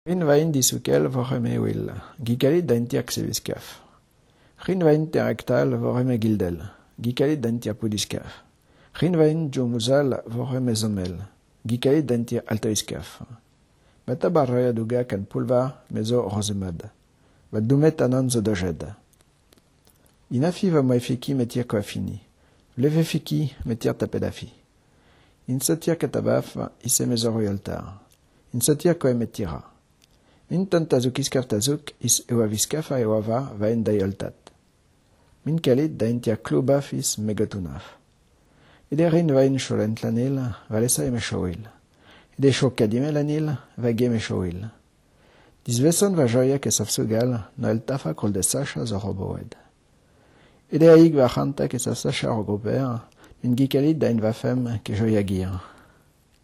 Rin vain disukel voreme will, gikalit daintiak seviskaf. Rin vain terektal voreme gildel, gikalit daintia pudiskaf. Rin vain jomuzal voreme zomel, gikalit daintia altaiskaf. Bata barroya duga kan pulva mezo rosemad. Va dumet anan zo dojed. Inafi va moefiki metir koafini. Leve fiki metir tapedafi. Insatia katabaf ise mezo royaltar. Insatia koemetira. Min tantazuk iskaftazuk is ewaviskafa ewava vaen daioltat. Min kalit daintia klubaf is megatunaf. Ede rin vaen cholent lanil, valesa eme choil. Ede chokadime lanil, va geme choil. Disveson va joiak e safsugal, no el tafa kol de sacha zo roboed. Ede aig va chantak e safsacha rogoper, min gikalit dain vafem ke joiagir.